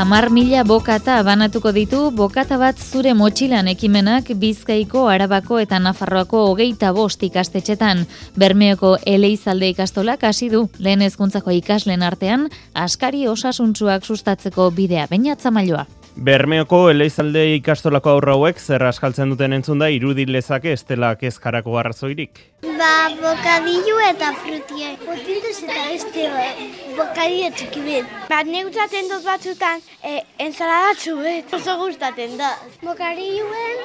10.000 bokata banatuko ditu bokata bat zure motxilan ekimenak Bizkaiko, Arabako eta Nafarroako 25 ikastetxetan. Bermeoko Eleizalde ikastolak hasi du lehen hezkuntzako ikasleen artean askari osasuntsuak sustatzeko bidea. Beñat Zamailoa. Bermeoko Eleizalde ikastolako haur hauek zer askaltzen duten entzun da irudi lezake estela kezkarako arrazoirik. Bokadillo eta frutie. Potinduz eta beste bokadillo txiki bet. Ne gustatzen dut batzutan ensalada txubet. Oso gustatzen da. Bokadilloen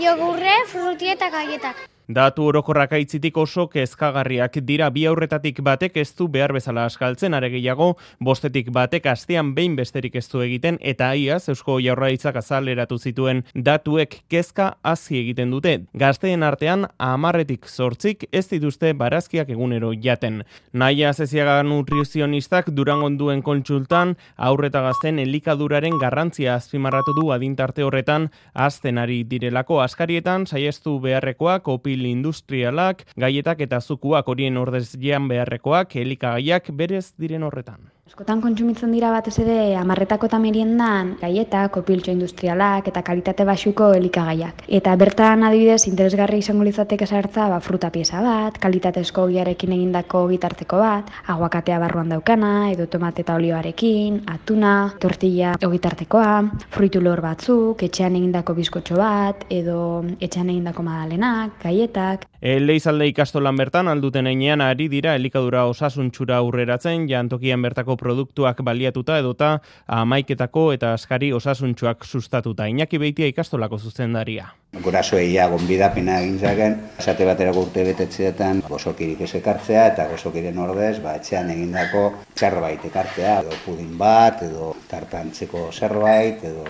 jogurre, frutie eta galletak. Datu orokorrak aitzitik oso kezkagarriak dira. Bi aurretatik batek ez du behar bezala askaltzen, are gehiago bostetik batek astean behin besterik ez du egiten, eta iaz Eusko Jaurlaritzak azaleratu zituen datuek kezka hazi egiten dute. Gazteen artean 10etik 8 ez dituzte barazkiak egunero jaten. Naia Zeziaga nutrizionistak Durangon duen kontsultan haur eta gazteen elikaduraren garrantzia azpimarratu du adintarte horretan hazten ari direlako. Askarietan saiestu beharrekoak, industrialak, gaietak eta zukuak horien ordez jean beharrekoak, elikagaiak berez diren horretan. Askotan kontsumitzen dira batez ere 10etako eta meriendan gaietak, opiltxo industrialak eta kalitate baxuko elikagaiak. Eta bertan adibidez interesgarri izango litzateke sartza fruta pieza bat, kalitatezko ogiarekin egindako bitarteko bat, aguakatea barruan daukana, edo tomate eta olioarekin, atuna, tortilla ogitartekoa, fruitu lor batzuk, etxean egindako bizkotxo bat, edo etxean egindako magdalenak, gaietak. Eleizalde ikastolan bertan alduten heinean ari dira elikadura osasuntxura aurreratzen, jantokian bertako produktuak baliatuta edota 11etako eta askari osasuntsuak sustatuta. Iñaki Beitia ikastolako zuzendaria. Gurasoei gonbidapena egin zaken, esate baterako urte betetzeetan gozokirik ez ekartzea eta gozokiren ordez etxean egindako zerbait ekartzea, edo pudin bat, edo tartantzeko zerbait, edo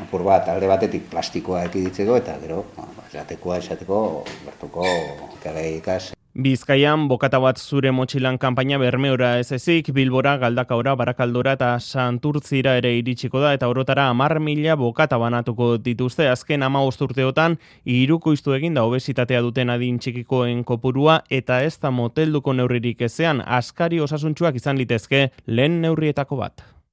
apur bat alde batetik plastikoa ekiditzeko eta gero esateko bertuko kagaikaz. Bizkaian bokata bat zure motxilan kanpaina Bermeora ez ezik, Bilbora, Galdakaora, Barakaldora eta Santurtzira ere iritsiko da eta orotara 10.000 bokata banatuko dituzte. Azken 15 urteotan hirukoiztu egin da obesitatea duten adin txikikoen kopurua eta ez da motelduko neurririk ezean, askari osasuntsuak izan litezke lehen neurrietako bat.